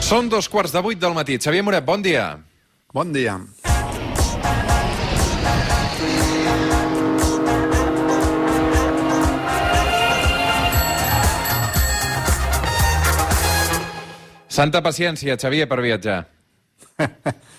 Són 7:15 del matí. Xavier Moret, bon dia. Bon dia. Santa paciència, Xavier, per viatjar.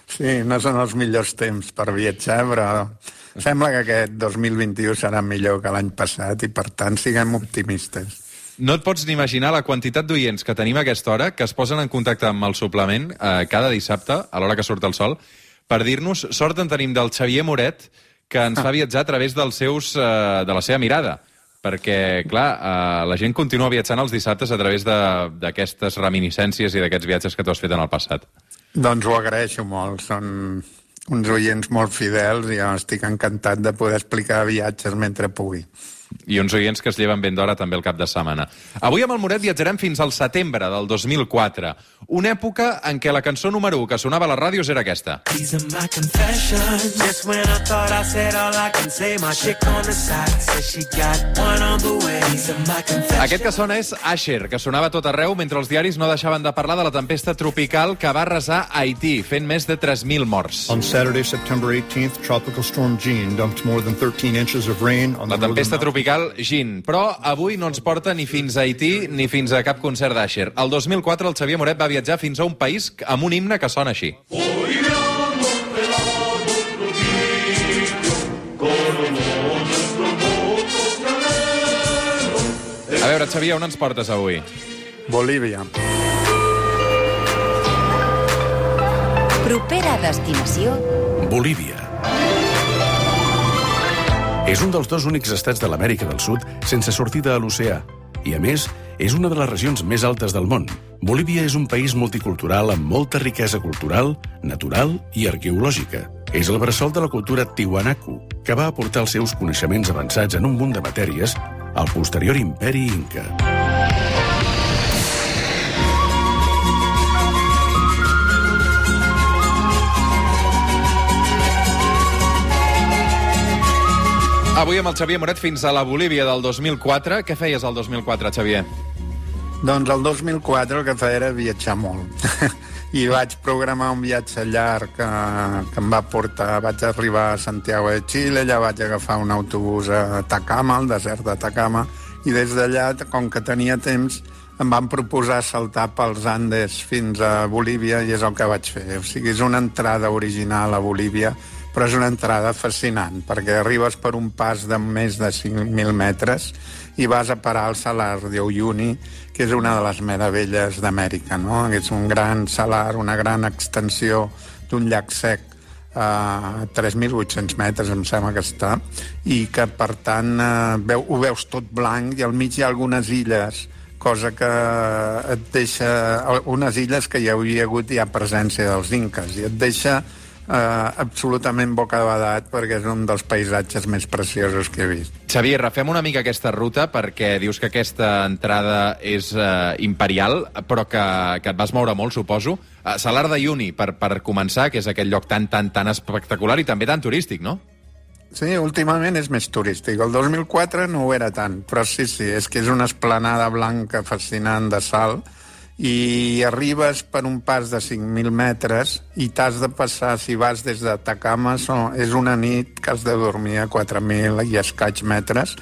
Sí, no són els millors temps per viatjar, però sembla que aquest 2021 serà millor que l'any passat i, per tant, siguem optimistes. No et pots ni imaginar la quantitat d'oients que tenim a aquesta hora que es posen en contacte amb el suplement cada dissabte, a l'hora que surt el sol, per dir-nos, sort en tenim del Xavier Moret, que ens fa viatjar a través de la seva mirada. Perquè, clar, la gent continua viatjant els dissabtes a través d'aquestes reminiscències i d'aquests viatges que tu has fet en el passat. Doncs ho agraeixo molt. Són uns oients molt fidels i jo estic encantat de poder explicar viatges mentre pugui. I uns oients que es lleven ben d'hora també el cap de setmana. Avui amb el Moret viatjarem fins al setembre del 2004, una època en què la cançó número 1 que sonava a les ràdios era aquesta. Aquest que sona és Asher, que sonava a tot arreu mentre els diaris no deixaven de parlar de la tempesta tropical que va arrasar Haití, fent més de 3.000 morts. On Saturday, September 18th, Tropical Storm Jean dumped more than 13 inches of rain on the La tempesta tropical Jean, però avui no ens porta ni fins a Haití ni fins a cap concert d'Asher. El 2004 el Xavier Moret va viatjar fins a un país amb un himne que sona així. A veure, Xavier, on ens portes avui? Bolívia. Propera destinació... Bolívia. És un dels dos únics estats de l'Amèrica del Sud sense sortida a l'oceà i, a més, és una de les regions més altes del món. Bolívia és un país multicultural amb molta riquesa cultural, natural i arqueològica. És el bressol de la cultura Tiwanaku, que va aportar els seus coneixements avançats en un munt de matèries al posterior imperi Inca. Avui amb el Xavier Moret fins a la Bolívia del 2004. Què feies el 2004, Xavier? Doncs el 2004 el que feia era viatjar molt. I vaig programar un viatge llarg que em va portar... Vaig arribar a Santiago de Chile, allà vaig agafar un autobús a Atacama, al desert d'Atacama, i des d'allà, com que tenia temps, em van proposar saltar pels Andes fins a Bolívia i és el que vaig fer. O sigui, és una entrada original a Bolívia, però és una entrada fascinant, perquè arribes per un pas de més de 5.000 metres i vas a parar al Salar de Uyuni, que és una de les meravelles d'Amèrica, no? És un gran salar, una gran extensió d'un llac sec a 3.800 metres, em sembla que està, i que, per tant, ho veus tot blanc i al mig hi ha algunes illes, cosa que et deixa... Unes illes que hi havia hagut ja presència dels inques, i et deixa absolutament bocabadat perquè és un dels paisatges més preciosos que he vist. Xavier, refem una mica aquesta ruta perquè dius que aquesta entrada és imperial, però que et vas moure molt, suposo. Salar de Uyuni, per començar, que és aquell lloc tan espectacular i també tan turístic, no? Sí, últimament és més turístic. El 2004 no ho era tant, però sí, és que és una esplanada blanca fascinant de sal i arribes per un pas de 5.000 metres i t'has de passar, si vas des d'Atacama, és una nit que has de dormir a 4.000 i escaig metres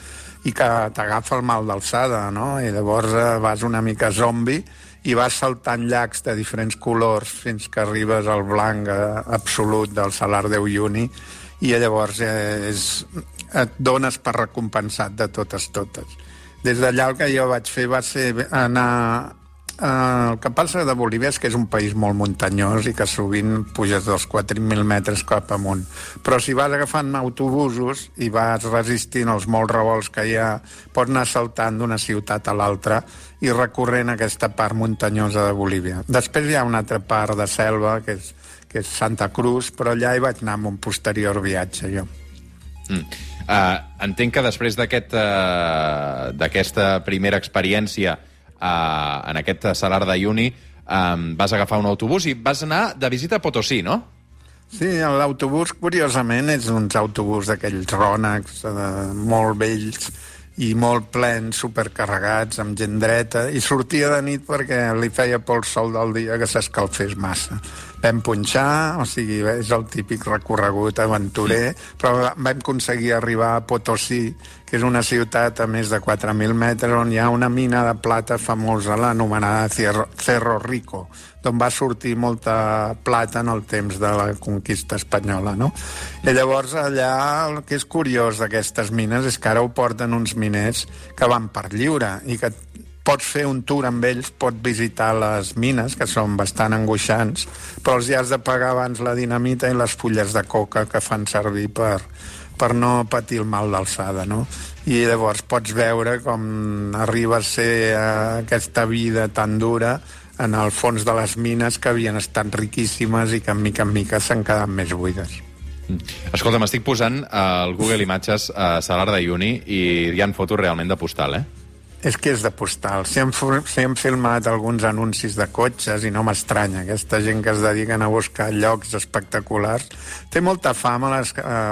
i que t'agafa el mal d'alçada, no? I llavors vas una mica zombi i vas saltant llacs de diferents colors fins que arribes al blanc absolut del Salar de Uyuni i llavors et dones per recompensat de totes. Des d'allà el que jo vaig fer va ser anar... El que passa de Bolívia és que és un país molt muntanyós i que sovint puges dels 4.000 metres cap amunt. Però si vas agafant autobusos i vas resistint els molts revolts que hi ha, pots anar saltant d'una ciutat a l'altra i recorrent aquesta part muntanyosa de Bolívia. Després hi ha una altra part de selva, que és Santa Cruz, però allà hi vaig anar amb un posterior viatge, jo. Entenc que després d'aquesta primera experiència en aquest Salar de Uyuni vas agafar un autobús i vas anar de visita a Potosí, no? Sí, l'autobús, curiosament, és uns autobús d'aquells rònecs molt vells i molt plens, supercarregats, amb gent dreta, i sortia de nit perquè li feia por el sol del dia que s'escalfés massa. Vam punxar, o sigui, és el típic recorregut aventurer, però vam aconseguir arribar a Potosí, que és una ciutat a més de 4.000 metres on hi ha una mina de plata famosa, l'anomenada Cerro Rico, d'on va sortir molta plata en el temps de la conquista espanyola, no? I llavors allà el que és curiós d'aquestes mines és que ara ho porten uns miners que van per lliure i que pots fer un tour amb ells, pots visitar les mines, que són bastant angoixants, però els hi has de pagar abans la dinamita i les fulles de coca que fan servir per no patir el mal d'alçada, no? I llavors pots veure com arriba a ser aquesta vida tan dura en el fons de les mines que havien estat riquíssimes i que en mica s'han quedat més buides. Escolta, m'estic posant al Google Imatges a Salar d'Uyuni i hi ha fotos realment de postal, És que és de postal. Si hem filmat alguns anuncis de cotxes i no m'estranya, aquesta gent que es dediquen a buscar llocs espectaculars. Té molta fama a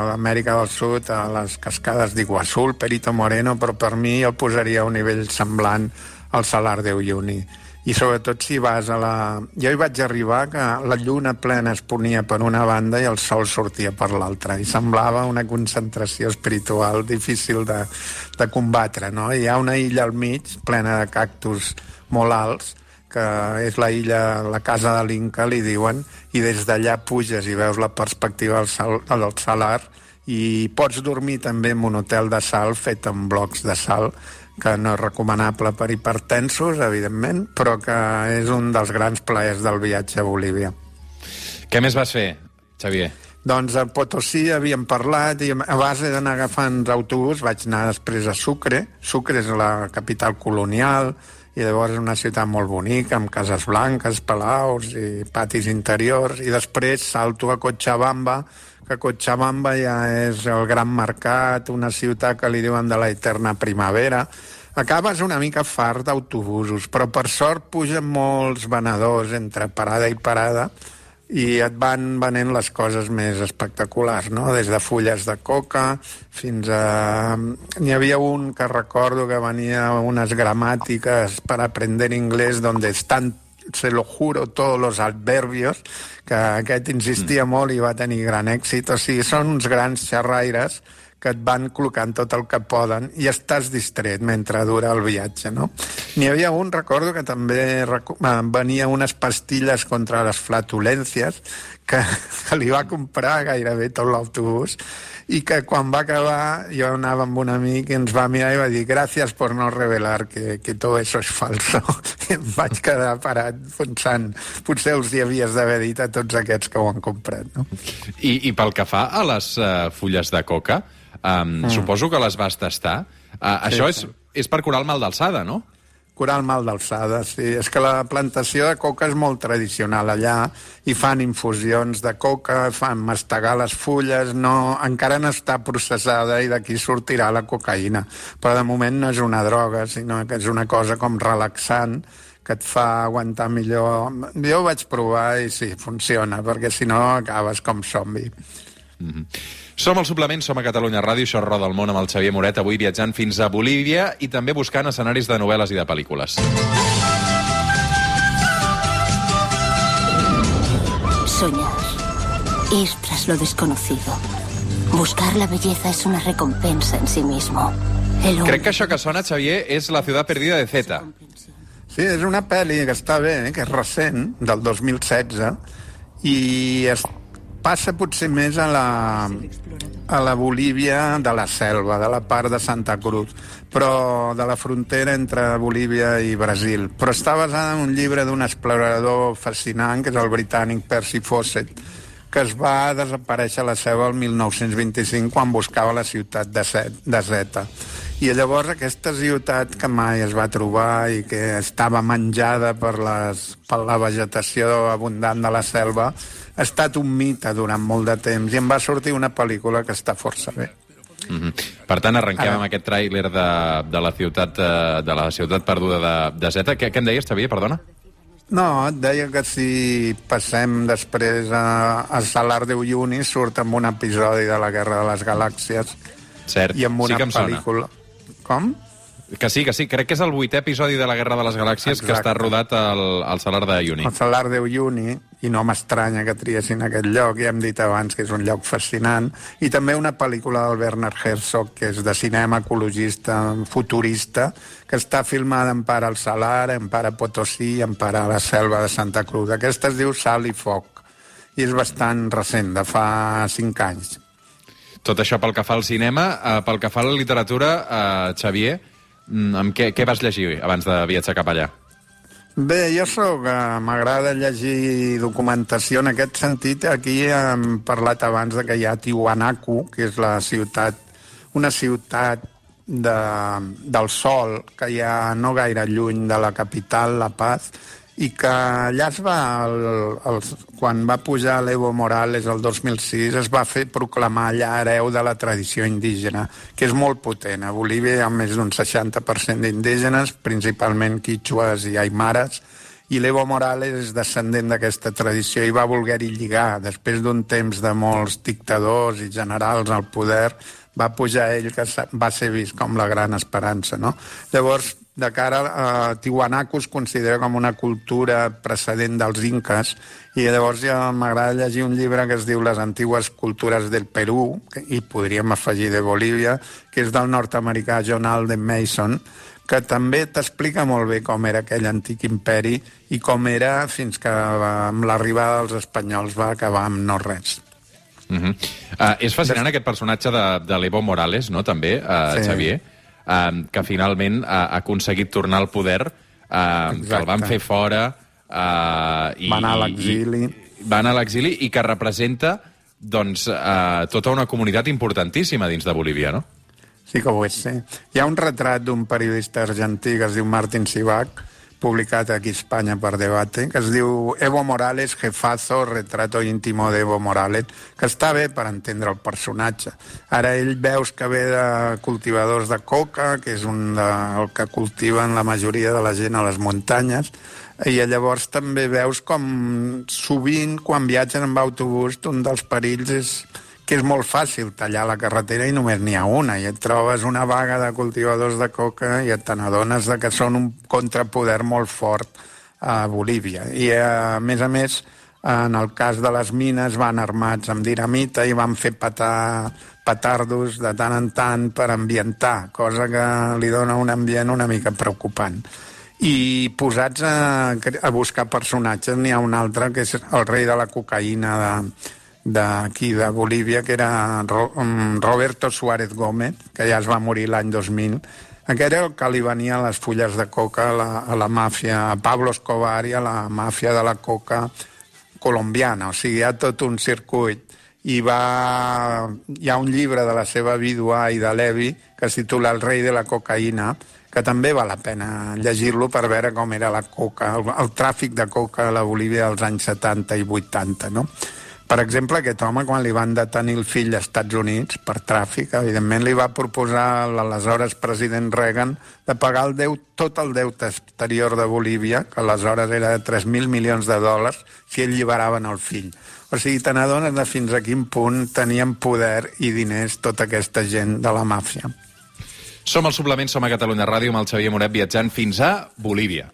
l'Amèrica del Sud, a les cascades d'Iguazú, Perito Moreno, però per mi el posaria a un nivell semblant al Salar d'Uyuni. I sobretot si vas a la... Jo hi vaig arribar que la lluna plena es ponia per una banda i el sol sortia per l'altra, i semblava una concentració espiritual difícil de combatre, no? Hi ha una illa al mig, plena de cactus molt alts, que és la illa, la casa de l'Inca, li diuen, i des d'allà puges i veus la perspectiva del salar, i pots dormir també en un hotel de sal fet amb blocs de sal, que no és recomanable per hipertensos, evidentment, però que és un dels grans plaers del viatge a Bolívia. Què més vas fer, Xavier? Doncs a Potosí havíem parlat i a base d'anar agafant autobús vaig anar després a Sucre. Sucre és la capital colonial i llavors és una ciutat molt bonica, amb cases blanques, palaus i patis interiors, i després salto a Cochabamba, que Cochabamba ja és el gran mercat, una ciutat que li diuen de la eterna primavera. Acabes una mica fart d'autobusos, però per sort pugen molts venedors entre parada i parada i et van venent les coses més espectaculars, no? Des de fulles de coca fins a... N'hi havia un que recordo que venia unes gramàtiques per aprender inglès donde están, se lo juro, todos los adverbios, que aquest insistia molt i va tenir gran èxit. O sigui, són uns grans xerraires que et van col·locant tot el que poden i estàs distret mentre dura el viatge, no? N'hi havia un, recordo, que també venia unes pastilles contra les flatulències que li va comprar gairebé tot l'autobús i que quan va acabar jo anava amb un amic i ens va mirar i va dir «Gracias por no revelar que todo eso es falso». I em vaig quedar parat pensant potser els hi havies d'haver dit a tots aquests que ho han comprat, no? I pel que fa a les fulles de coca, suposo que les vas tastar. Això és per curar el mal d'alçada, no? Curar el mal d'alçada, sí. És que la plantació de coca és molt tradicional allà i fan infusions de coca, fan mastegar les fulles, encara no està processada i d'aquí sortirà la cocaïna. Però de moment no és una droga, sinó que és una cosa com relaxant que et fa aguantar millor. Jo ho vaig provar i sí, funciona, perquè si no acabes com zombi. Som al Suplement, som a Catalunya Ràdio, això és Roda el Món amb el Xavier Moret, avui viatjant fins a Bolívia i també buscant escenaris de novel·les i de pel·lícules. Soñar, ir tras lo desconocido. Buscar la belleza es una recompensa en sí mismo. Crec que això que sona, Xavier, és La ciudad perdida de Zeta. Sí, és una pel·li que està bé, que és recent, del 2016, i passa potser més a la Bolívia de la selva, de la part de Santa Cruz, però de la frontera entre Bolívia i Brasil. Però està basada en un llibre d'un explorador fascinant, que és el britànic Percy Fawcett, que es va desaparèixer a la selva el 1925 quan buscava la ciutat de Zeta. I llavors aquesta ciutat que mai es va trobar i que estava menjada per la vegetació abundant de la selva ha estat un mite durant molt de temps i em va sortir una pel·lícula que està força bé. Per tant, arrenquem amb aquest tràiler de la ciutat perduda de Zeta. Què em deies, Xavier, perdona? No, et deia que si passem després a Salar d'Uyuni surt amb un episodi de la Guerra de les Galàxies. Cert, i amb una sí que em pel·lícula. sona. Com? Que sí. Crec que és el 8è episodi de la Guerra de les Galàxies. Exacte. Que està rodat al Salar de Uyuni. El Salar de Uyuni, i no m'estranya que triessin aquest lloc, ja hem dit abans que és un lloc fascinant, i també una pel·lícula del Werner Herzog, que és de cinema ecologista, futurista, que està filmada en part al Salar, en part a Potosí, en part a la selva de Santa Cruz. Aquesta es diu Sal i Foc, i és bastant recent, de fa 5 anys. Tot això pel que fa al cinema. Pel que fa a la literatura, Xavier, amb què vas llegir abans de viatjar cap allà? Bé, m'agrada llegir documentació. En aquest sentit, aquí hem parlat abans de que hi ha Tiwanaku, que és una ciutat del sol, que hi ha no gaire lluny de la capital, La Paz, i que allà es va, quan va pujar l'Evo Morales el 2006, es va fer proclamar allà hereu de la tradició indígena, que és molt potent. A Bolívia hi ha més d'un 60% d'indígenes, principalment quichues i aimares, i l'Evo Morales és descendent d'aquesta tradició i va voler-hi lligar. Després d'un temps de molts dictadors i generals al poder, va pujar ell, que va ser vist com la gran esperança, no? Llavors, de cara a Tiwanaku es considera com una cultura precedent dels inques, i llavors ja m'agrada llegir un llibre que es diu Les antigues cultures del Perú, i podríem afegir de Bolívia, que és del nord-americà John Alden Mason, que també t'explica molt bé com era aquell antic imperi i com era fins que amb l'arribada dels espanyols va acabar amb no res. És fascinant aquest personatge de l'Evo Morales, no?, també, sí. Xavier, que finalment ha aconseguit tornar al poder, que el van fer fora... Va anar a l'exili. Va anar a l'exili i que representa doncs, tota una comunitat importantíssima dins de Bolívia, no? Sí que ho és, sí. Hi ha un retrat d'un periodista argentí que es diu Martín Sibach, publicat aquí a Espanya per Debate, que es diu Evo Morales, jefazo, retrato íntimo de Evo Morales, que està bé per entendre el personatge. Ara ell veus que ve de cultivadors de coca, que és el que cultiven la majoria de la gent a les muntanyes, i llavors també veus com sovint quan viatgen amb autobús un dels perills és que és molt fàcil tallar la carretera i només n'hi ha una, i et trobes una vaga de cultivadors de coca i te n'adones que són un contrapoder molt fort a Bolívia. I a més, en el cas de les mines van armats amb dinamita i van fer petar petardos de tant en tant per ambientar, cosa que li dona un ambient una mica preocupant. I posats a buscar personatges, n'hi ha un altre que és el rei de la cocaïna d'aquí de Bolívia, que era Roberto Suárez Gómez, que ja es va morir l'any 2000. Aquest era el que li venia les fulles de coca a la màfia, a Pablo Escobar i a la màfia de la coca colombiana. O sigui, hi ha tot un circuit. Hi ha un llibre de la seva vídua Ida Levi que es titula El rei de la cocaïna, que també val la pena llegir-lo per veure com era la coca, el tràfic de coca a la Bolívia dels anys 70 i 80, no? Per exemple, aquest home, quan li van detenir el fill als Estats Units per tràfic, evidentment li va proposar l'aleshores president Reagan de pagar tot el deute exterior de Bolívia, que aleshores era de 3.000 milions de dòlars, si ell lliberaven el fill. O sigui, te n'adones de fins a quin punt tenien poder i diners tota aquesta gent de la màfia. Som al Suplement, som a Catalunya Ràdio amb el Xavier Moret viatjant fins a Bolívia.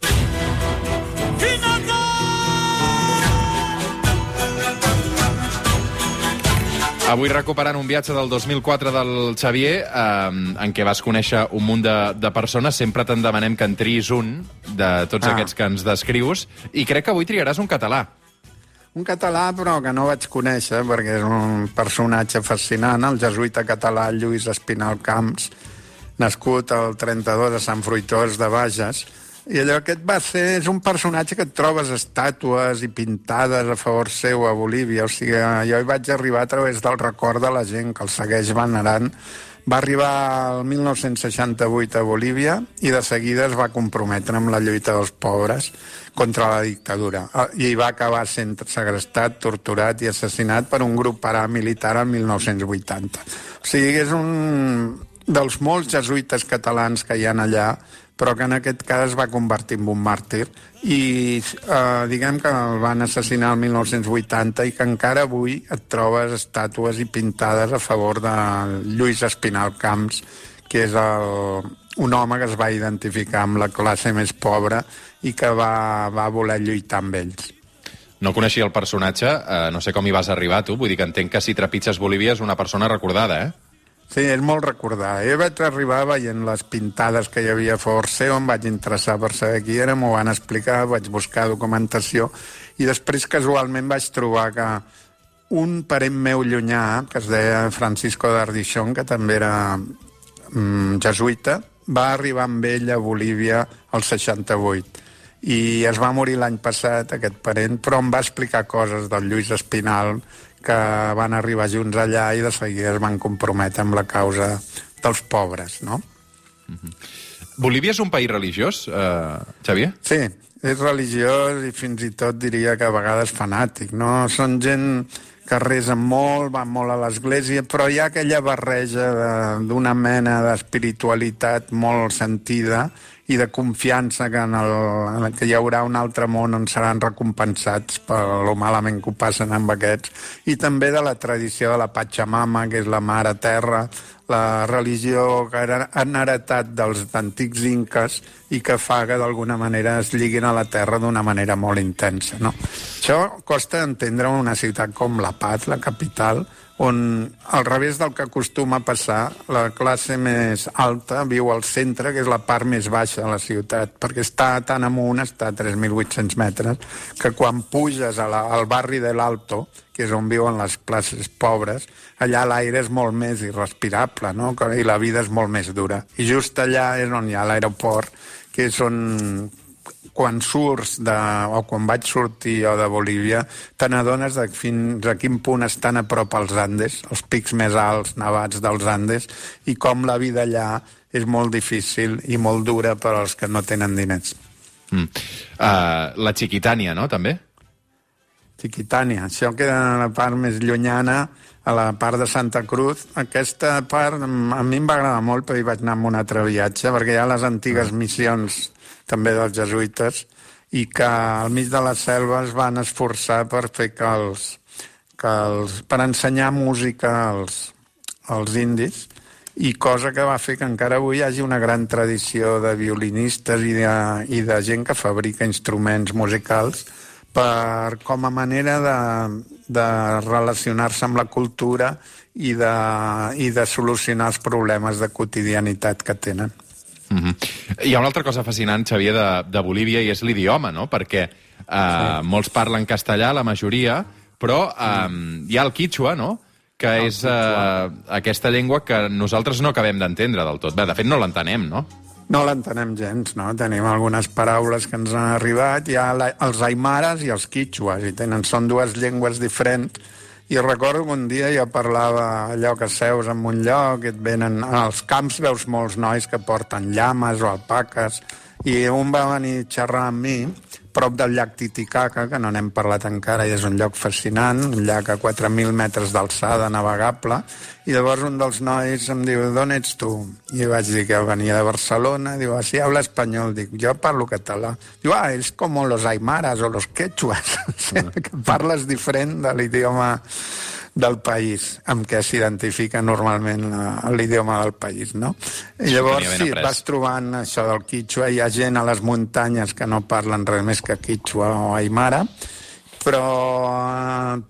Avui recuperant un viatge del 2004 del Xavier, en què vas conèixer un munt de persones. Sempre te'n demanem que en triïs un de tots aquests que ens descrius, i crec que avui triaràs un català. Un català, però que no vaig conèixer, perquè és un personatge fascinant, el jesuïta català Lluís Espinal Camps, nascut al 32 a Sant Fruitós de Bages. I allò és un personatge que et trobes estàtues i pintades a favor seu a Bolívia. O sigui, jo hi vaig arribar a través del record de la gent que el segueix venerant. Va arribar el 1968 a Bolívia i de seguida es va comprometre amb la lluita dels pobres contra la dictadura. I va acabar sent segrestat, torturat i assassinat per un grup paramilitar el 1980. O sigui, és un dels molts jesuïtes catalans que hi ha allà, però que en aquest cas es va convertir en un màrtir. I diguem que el van assassinar el 1980 i que encara avui et trobes estàtues i pintades a favor de Lluís Espinal Camps, que és un home que es va identificar amb la classe més pobra i que va voler lluitar amb ells. No coneixia el personatge, no sé com hi vas arribar tu, vull dir que entenc que si trepitges Bolívia és una persona recordada, eh? Sí, és molt recordada. Jo vaig arribar veient les pintades que hi havia a Forceo, em vaig interessar per saber qui era, m'ho van explicar, vaig buscar documentació i després casualment vaig trobar que un parent meu llunyà, que es deia Francisco d'Ardichon, que també era jesuïta, va arribar amb ell a Bolívia al 68 i es va morir l'any passat, aquest parent, però em va explicar coses del Lluís Espinal, que van arribar junts allà i de seguida es van comprometre amb la causa dels pobres, no? Bolívia és un país religiós, Xavier? Sí, és religiós i fins i tot diria que a vegades fanàtic, no? Són gent que resen molt, van molt a l'església, però hi ha aquella barreja d'una mena d'espiritualitat molt sentida i de confiança que hi haurà un altre món on seran recompensats per lo malament que ho passen amb aquests, i també de la tradició de la Pachamama, que és la mare terra, la religió que han heretat dels antics inques i que fa que d'alguna manera es lliguin a la terra d'una manera molt intensa, no? Això costa entendre una ciutat com La Paz, la capital, on, al revés del que acostuma a passar, la classe més alta viu al centre, que és la part més baixa de la ciutat, perquè està tan amunt, està a 3.800 metres, que quan puges al barri de l'Alto, que és on viuen les classes pobres, allà l'aire és molt més irrespirable, no? I la vida és molt més dura. I just allà és on hi ha l'aeroport, que és on, quan surts o quan vaig sortir jo de Bolívia, te n'adones de fins a quin punt estan a prop als Andes, els pics més alts nevats dels Andes, i com la vida allà és molt difícil i molt dura per als que no tenen diners. La Chiquitània, no?, també? Chiquitània, això queda a la part més llunyana, a la part de Santa Cruz. Aquesta part a mi em va agradar molt, però hi vaig anar amb un altre viatge, perquè hi ha les antigues missions també dels jesuïtes, i que al mig de la selva es van esforçar per fer per ensenyar música als indis, i cosa que va fer que encara avui hi hagi una gran tradició de violinistes i de gent que fabrica instruments musicals com a manera de relacionar-se amb la cultura i de solucionar els problemes de quotidianitat que tenen. Hi ha una altra cosa fascinant, Xavier, de Bolívia, i és l'idioma, no? Perquè molts parlen castellà, la majoria, però hi ha el quichua, no?, que és aquesta llengua que nosaltres no acabem d'entendre del tot. Bé, de fet, no l'entenem, no? No l'entenem gens, no? Tenim algunes paraules que ens han arribat. Hi ha els aimares i els quichuas, i són dues llengües diferents. I recordo que un dia jo parlava allò que seus en un lloc, et venen als camps, veus molts nois que porten llames o alpaques, i un va venir a xerrar amb mi prop del llac Titicaca, que no n'hem parlat encara, i és un lloc fascinant, un llac a 4.000 metres d'alçada, navegable, i llavors un dels nois em diu, d'on ets tu? I vaig dir que venia de Barcelona, diu, si habla espanyol, dic, jo parlo català. Diu, és com los aimaras o los quechuas, que parles diferent de l'idioma del país, amb què s'identifica normalment l'idioma del país, no? I llavors, sí, vas trobant això del quichua, hi ha gent a les muntanyes que no parlen res més que quichua o aimara, però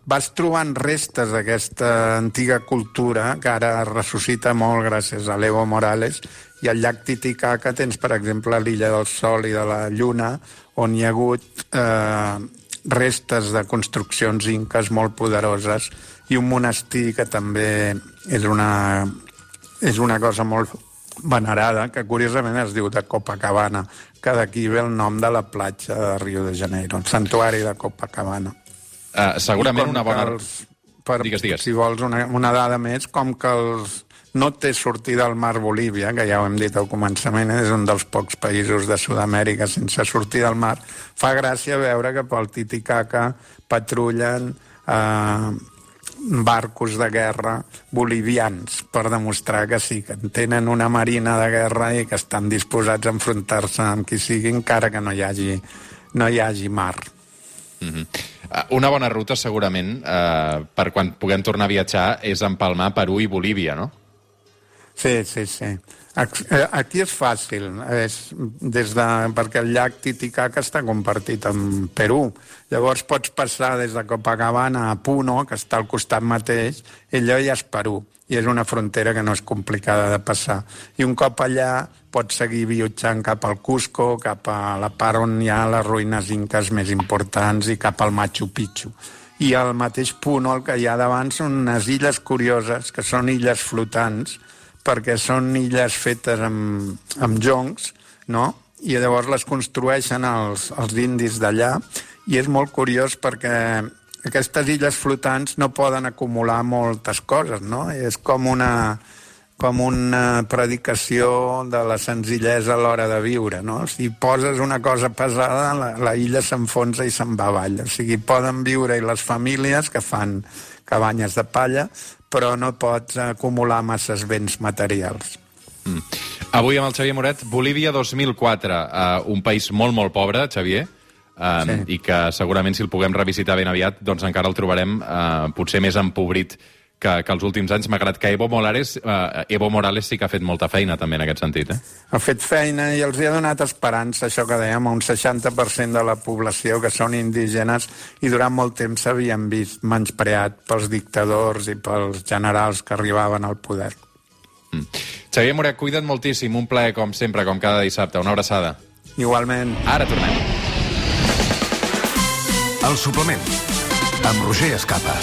vas trobant restes d'aquesta antiga cultura que ara es ressuscita molt gràcies a l'Evo Morales, i al llac Titicaca tens, per exemple, l'illa del Sol i de la Lluna, on hi ha hagut restes de construccions inques molt poderoses, i un monestir que també és una cosa molt venerada, que curiosament es diu de Copacabana, que d'aquí ve el nom de la platja de Rio de Janeiro, el santuari de Copacabana. Segurament una bona... Digues. Si vols una dada més, com que no té sortida al mar Bolívia, que ja ho hem dit al començament, és un dels pocs països de Sud-amèrica sense sortida al mar, fa gràcia veure que pel Titicaca patrullen barcos de guerra bolivians per demostrar que sí, que tenen una marina de guerra i que estan disposats a enfrontar-se amb qui sigui, encara que no hi hagi mar. Una bona ruta, segurament, per quan puguem tornar a viatjar, és empalmar Perú i Bolívia, no? Sí. Aquí és fàcil, perquè el llac Titicaca està compartit amb Perú. Llavors pots passar des de Copacabana a Puno, que està al costat mateix, i allò ja és Perú. I és una frontera que no és complicada de passar. I un cop allà pots seguir viatjant cap al Cusco, cap a la part on hi ha les ruïnes inques més importants i cap al Machu Picchu. I al mateix Puno el que hi ha davant són unes illes curioses, que són illes flotants, perquè són illes fetes amb joncs, no? I llavors les construeixen els indis d'allà, i és molt curiós perquè aquestes illes flotants no poden acumular moltes coses, no? És com una predicació de la senzillesa a l'hora de viure, no? Si poses una cosa pesada, la illa s'enfonsa i se'n va avall. O sigui, poden viure-hi les famílies que fan cabanyes de palla, però no pots acumular masses béns materials. Avui amb el Xavier Moret, Bolívia 2004, un país molt, molt pobre, Xavier, i que segurament si el puguem revisitar ben aviat, doncs encara el trobarem potser més empobrit que els últims anys, malgrat que Evo Morales sí que ha fet molta feina també en aquest sentit. Ha fet feina i els hi ha donat esperança, això que dèiem, a un 60% de la població que són indígenes i durant molt temps s'havien vist menyspreat pels dictadors i pels generals que arribaven al poder. Xavier Moret, cuida't moltíssim, un plaer com sempre, com cada dissabte, una abraçada. Igualment. Ara tornem. El suplement, amb Roger Escapa.